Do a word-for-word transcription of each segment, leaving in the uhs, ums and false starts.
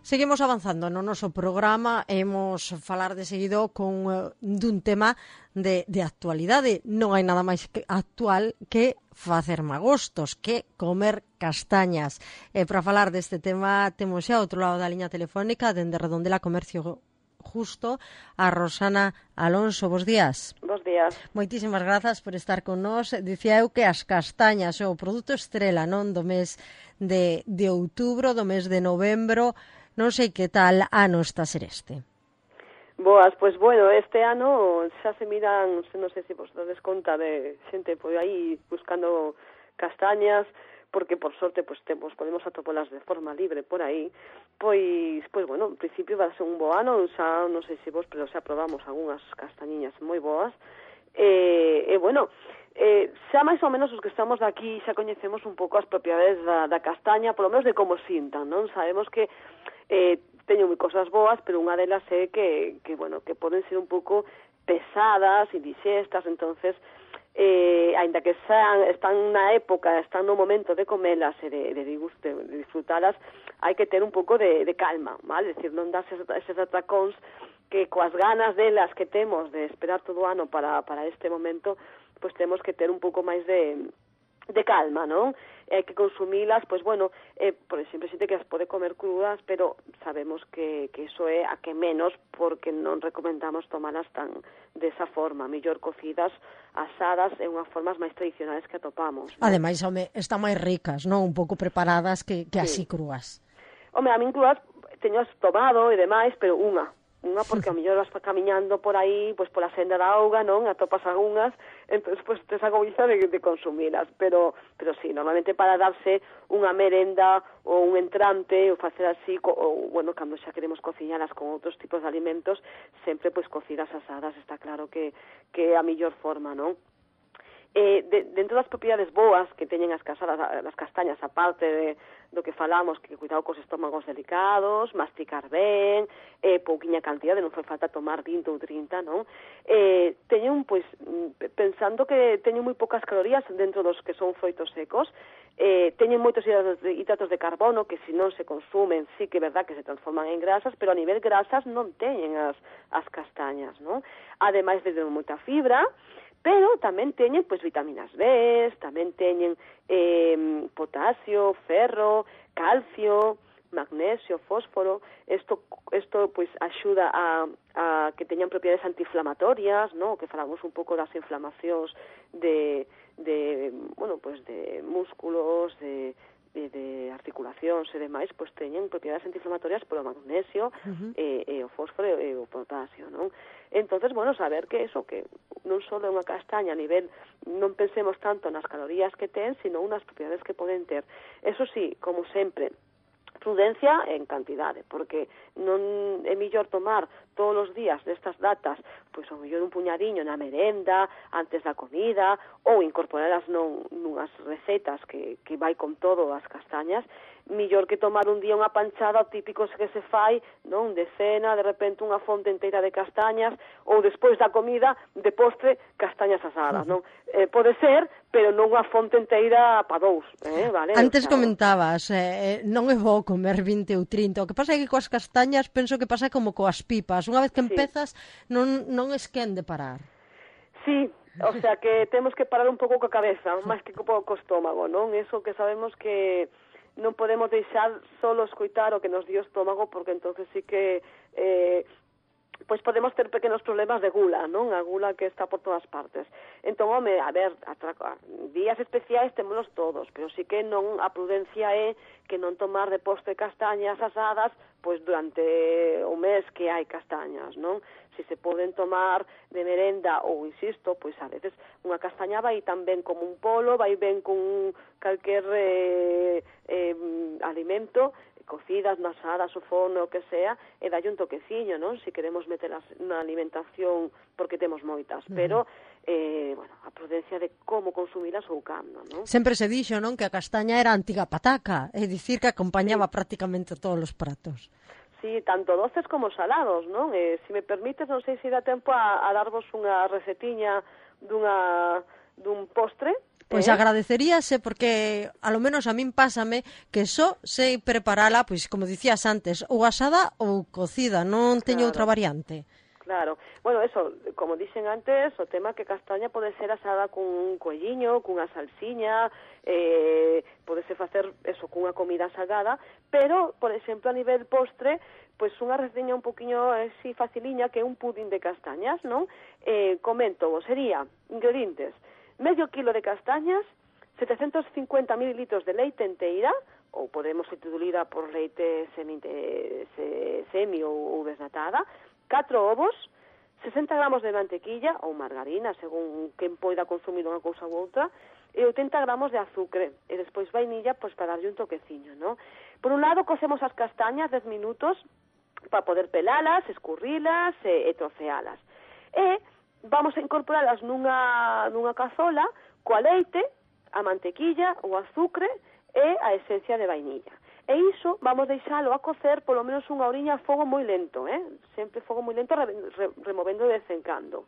Seguimos avanzando no noso programa, hemos falar de seguido con uh, dun tema de, de actualidade. Non hai nada máis que actual que facer magostos, que comer castañas. E para falar deste tema temos xa outro lado da liña telefónica dende Redondela Comercio Justo a Rosana Alonso. Bos días. Bos días. Moitísimas grazas por estar con nós. Dicía eu que as castañas é o produto estrela, non, do mes de, de outubro, do mes de novembro. Non sei que tal ano está a ser este. Boas, pois bueno, este ano xa se miran, non sei se vos dades conta de xente por aí buscando castañas, porque por sorte pois temos, podemos atopalas de forma libre por aí, pois, pois bueno, en principio vai ser un bo ano, xa non sei se vos, pero xa probamos algunhas castañiñas moi boas, e, e bueno, Eh, xa máis ou menos os que estamos aquí xa coñecemos un pouco as propiedades da, da castaña, polo menos de como sintan, non? Sabemos que eh, teñen moi cosas boas, pero unha delas é que, que, bueno, que poden ser un pouco pesadas, indixestas, entonces, eh, aínda que sean, están na época, están no momento de comelas e de, de, de, de disfrutalas, hai que ter un pouco de, de calma, vale? Decir, non darse eses atracóns que coas ganas delas que temos de esperar todo o ano para, para este momento, pois temos que ter un pouco máis de, de calma, non? Hai que consumilas, pois bueno, eh, por exemplo, xente que as pode comer crudas, pero sabemos que, que iso é a que menos, porque non recomendamos tomalas tan desa forma, mellor cocidas, asadas, e unhas formas máis tradicionais que atopamos, non? Ademais, home, están máis ricas, non? Un pouco preparadas que, que así sí. Crúas. Home, a min cruas teño tomado e demais, pero unha. Unha porque a mellor vas camiñando por aí, pois pola senda da auga, non? Atopas algunhas, entón, pois tes a goiza de, de consumilas, pero, pero sí, normalmente para darse unha merenda ou un entrante, ou facer así, ou, bueno, cando xa queremos cociñalas con outros tipos de alimentos, sempre, pois, cocidas asadas, está claro que, que é a mellor forma, non? Eh, de, dentro das propiedades boas que teñen as casadas, as castañas, aparte de, do que falamos, que cuidado cos estómagos delicados, masticar ben, eh, pouquiña cantidade, non fai falta tomar vinte ou trinta, non? Eh, teñen, pois, pensando que teñen moi poucas calorías dentro dos que son froitos secos, eh, teñen moitos hidratos de, hidratos de carbono que se non se consumen, sí que é verdad que se transforman en grasas, pero a nivel grasas non teñen as, as castañas, non? Ademais de moita fibra, pero tamén teñen, pois, vitaminas B, tamén teñen eh, potasio, ferro, calcio, magnesio, fósforo. Isto, isto pois, axuda a, a que teñan propiedades antiinflamatorias, ¿no? Que falamos un pouco das inflamacións de, de, bueno, pois, de músculos, de, de, de articulacións e demais, pois teñen propiedades antiinflamatorias polo magnesio, uh-huh. e, e o fósforo e o potasio, non? Entonces, bueno, saber que eso, que non só é unha castaña a nivel, non pensemos tanto nas calorías que ten, sino unas propiedades que poden ter. Eso sí, como sempre, prudencia en cantidade, porque non é mellor tomar todos os días destas datas, pois ao mellor un puñadiño na merenda, antes da comida, ou incorporalas non, nunhas recetas que, que vai con todo as castañas, mellor que tomar un día unha panchada, o típico que se fai, non, de cena, de repente unha fonte inteira de castañas, ou despois da comida, de postre, castañas asadas, non? Eh, pode ser, pero non unha fonte inteira pa dous, eh, vale? Antes o sea, comentabas, eh, non é bo comer vinte ou trinta, o que pasa é que coas castañas penso que pasa como coas pipas, unha vez que empezas sí. non, non es quen de parar. Sí, o sea que temos que parar un pouco coa cabeza, máis que co estómago, non? Eso que sabemos que non podemos deixar solo escoitar o que nos dio o estómago, porque entonces sí que eh, pois podemos ter pequenos problemas de gula, non? A gula que está por todas partes. Entón, home, a ver, atraca, días especiais témolos todos, pero sí que non, a prudencia é que non tomar de postre castañas asadas pois durante o mes que hai castañas, non? Si se poden tomar de merenda ou, insisto, pois a veces unha castaña vai tan ben como un polo, vai ben con calquer eh, eh, alimento, cocidas, nasadas, o forno, o que sea, e dalle un toqueciño, non? Si queremos metelas na alimentación, porque temos moitas, uh-huh. pero, eh, bueno, a prudencia de como consumilas ou cando, non? Sempre se dixo, non, que a castaña era a antiga pataca, é dicir, que acompañaba sí. prácticamente todos os pratos. Sí, tanto doces como salados, non? Eh, se me permites, non sei se dá tempo a, a darvos unha recetiña dunha, dun postre, Pois eh? agradeceríase porque a lo menos a min pásame que só sei preparala, pois como dicías antes, ou asada ou cocida, non teño Claro. outra variante. Claro. Bueno, eso, como dixen antes, o tema que castaña pode ser asada cun un coelliño, cunha salsiña, eh, podese facer eso cunha comida salgada, pero, por exemplo, a nivel postre, pois unha receña un poquinho así faciliña que é un pudín de castañas, non? Eh, comento, sería ingredientes, medio kilo de castañas, setecientos cincuenta mililitros de leite enteira, ou podemos substituirla por leite semi, se, semi ou, ou desnatada, catro ovos, sesenta gramos de mantequilla ou margarina, según quen poida consumir unha cousa ou outra, e oitenta gramos de azúcar, e despois vainilla, pois para darlle un toqueciño, ¿no? Por un lado, cocemos as castañas dez minutos para poder pelalas, escurrilas e, e trocealas. E vamos a incorporalas nunha, nunha cazola coa leite, a mantequilla, o azúcar e a esencia de vainilla. E iso vamos deixalo a cocer polo menos unha horiña a fogo moi lento, eh? Sempre fogo moi lento, re, re, removendo de vez en cando.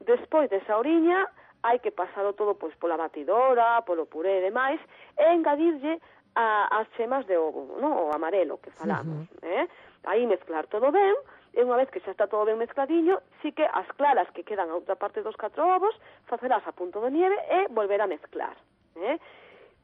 Despois desa horiña, hai que pasalo todo pois pola batidora, polo puré e demais, e engadirlle a, as chemas de ovo, no? O amarelo que falamos, uh-huh. eh? Aí mezclar todo ben, e unha vez que xa está todo ben mezcladiño, sí que as claras que quedan a outra parte dos catro ovos, facelas a punto de nieve e volver a mezclar, eh?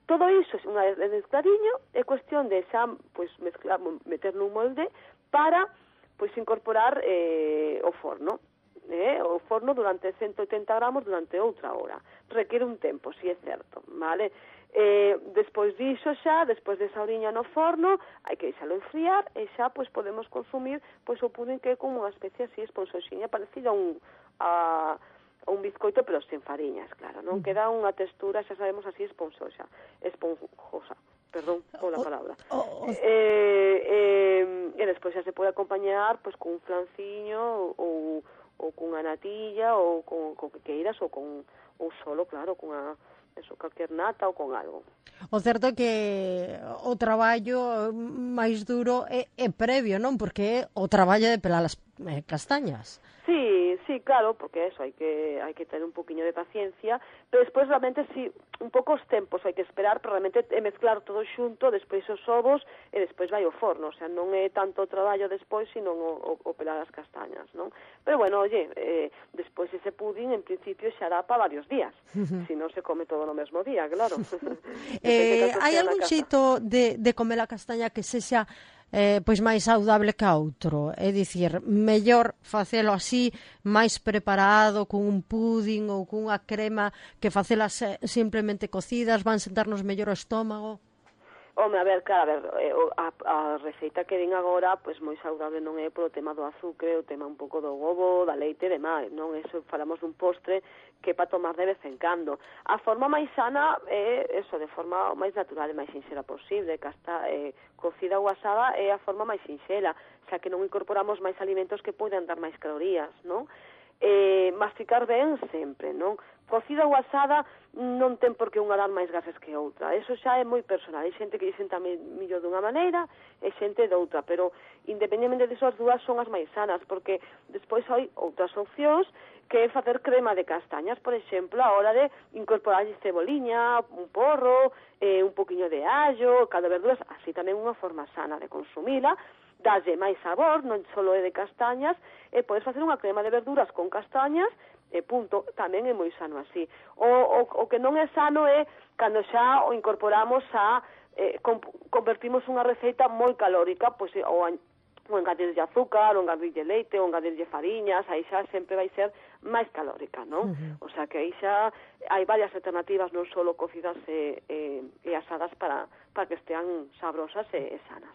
Todo iso, unha vez mezcladiño, é cuestión de xa, pois, mezclar, meter nun molde para, pois, incorporar eh, o forno. Eh, o forno durante ciento oitenta gramos durante outra hora. Requiere un tempo, si é certo, vale? Eh, despois diso xa, despois desa horiña no forno, hai que deixalo enfriar e xa, pois, podemos consumir, pois, o pudín que é como unha especie así esponsoxiña, parecida a un... a un bizcoito, pero sen fariñas, claro, non? Queda unha textura, xa sabemos, así esponjosa, esponjosa, perdón pola palabra. Oh, oh, oh. Eh, eh, e despois xa se pode acompañar pois con un flanciño ou, ou cunha natilla ou con, con que queiras ou con ou solo, claro, cunha eso, calquer nata ou con algo. O certo é que o traballo máis duro é, é previo, non? Porque é o traballo de pelar as eh, castañas. Sí, sí, claro, porque eso, hai que hai que ter un poquinho de paciencia, pero despois realmente sí, un pouco os tempos hai que esperar para realmente mezclar todo xunto, despois os ovos e despois vai ao forno, o sea, non é tanto o traballo despois, sino o, o, o pelar as castañas, non? Pero bueno, oye, eh, despois ese pudín en principio xa dá para varios días, uh-huh. Si non se come todo no mesmo día, claro. eh, hai algún xeito de, de comer a castaña que sexa Eh, pois máis saudable que a outro, é dicir, mellor facelo así, máis preparado, con un pudín ou cunha crema, que facelas simplemente cocidas, van sentarnos mellor o estómago? Home, a ver, claro, a ver, a, a receita que din agora, pois moi saudable non é polo tema do azúcar, o tema un pouco do ovo, da leite e demais, non? Eso falamos dun postre que é para tomar de vez en cando. A forma máis sana é, eso, de forma máis natural e máis sinxela posible, que hasta eh, cocida ou asada é a forma máis sinxela, xa que non incorporamos máis alimentos que poden dar máis calorías, non? Eh, masticar ben sempre, non? Cocida ou asada non ten por que unha dar máis gases que outra. Eso xa é moi personal. Hai xente que lle senta mellor dunha maneira e xente doutra, pero independentemente disso as dúas son as máis sanas, porque despois hai outras opcións que é facer crema de castañas, por exemplo, a hora de incorporar ceboliña, un porro, eh, un poquinho de allo, cada verduras, así tamén unha forma sana de consumila, dalle máis sabor, non só é de castañas, e podes facer unha crema de verduras con castañas, e punto, tamén é moi sano así. O, o, o que non é sano é cando xa o incorporamos a, eh, com, convertimos unha receita moi calórica, pois, ou, a, ou engadirlle azúcar, ou engadirlle leite, ou engadirlle fariñas, aí xa sempre vai ser máis calórica, non? Uh-huh. O sea que aí xa hai varias alternativas, non só cocidas e, e, e asadas para, para que estean sabrosas e, e sanas.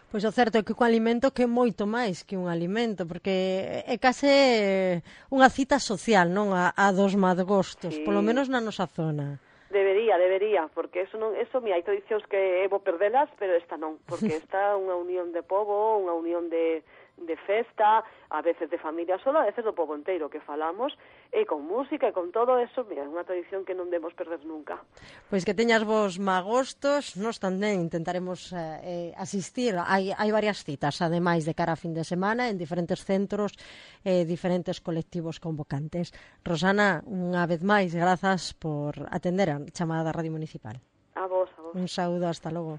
Pois o certo é que un alimento que é moito máis que un alimento, porque é case unha cita social, non? A, a dos madgostos, sí. Polo menos na nosa zona. Debería, debería, porque eso non, eso, mi, hai tradicións que é bo perdelas, pero esta non, porque esta é unha unión de pobo, unha unión de, de festa, a veces de familia sola, a veces do pobo inteiro que falamos, e con música e con todo eso, mira, é unha tradición que non debemos perder nunca. Pois que teñas vos magostos, nós tamén intentaremos eh, asistir, hai, hai varias citas, ademais de cara a fin de semana, en diferentes centros e eh, diferentes colectivos convocantes. Rosana, unha vez máis, grazas por atender a chamada da Radio Municipal. A vos, a vos. Un saúdo, hasta logo.